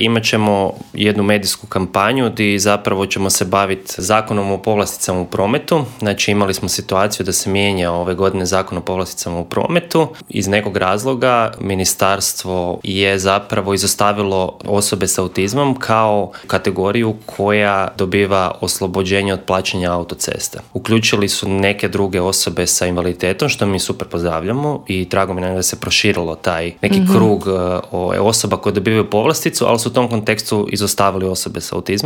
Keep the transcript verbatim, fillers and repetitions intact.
imat ćemo jednu medijsku kampanju gdje zapravo ćemo se baviti zakonom o povlasticama u prometu. Znači imali smo situaciju da se mijenja ove godine zakon o povlasticama u prometu. Iz nekog razloga ministarstvo je zapravo izostavilo osobe s autizmom kao kategoriju koja dobiva oslobođenje od plaćanja autocesta. Uključili su neke druge osobe sa invaliditetom, što mi super pozdravljamo i drago mi je da se proširilo taj neki mm-hmm. krug o, osoba koje dobivaju povlasticu, ali su u tom kontekstu izostavili osobe s autizmom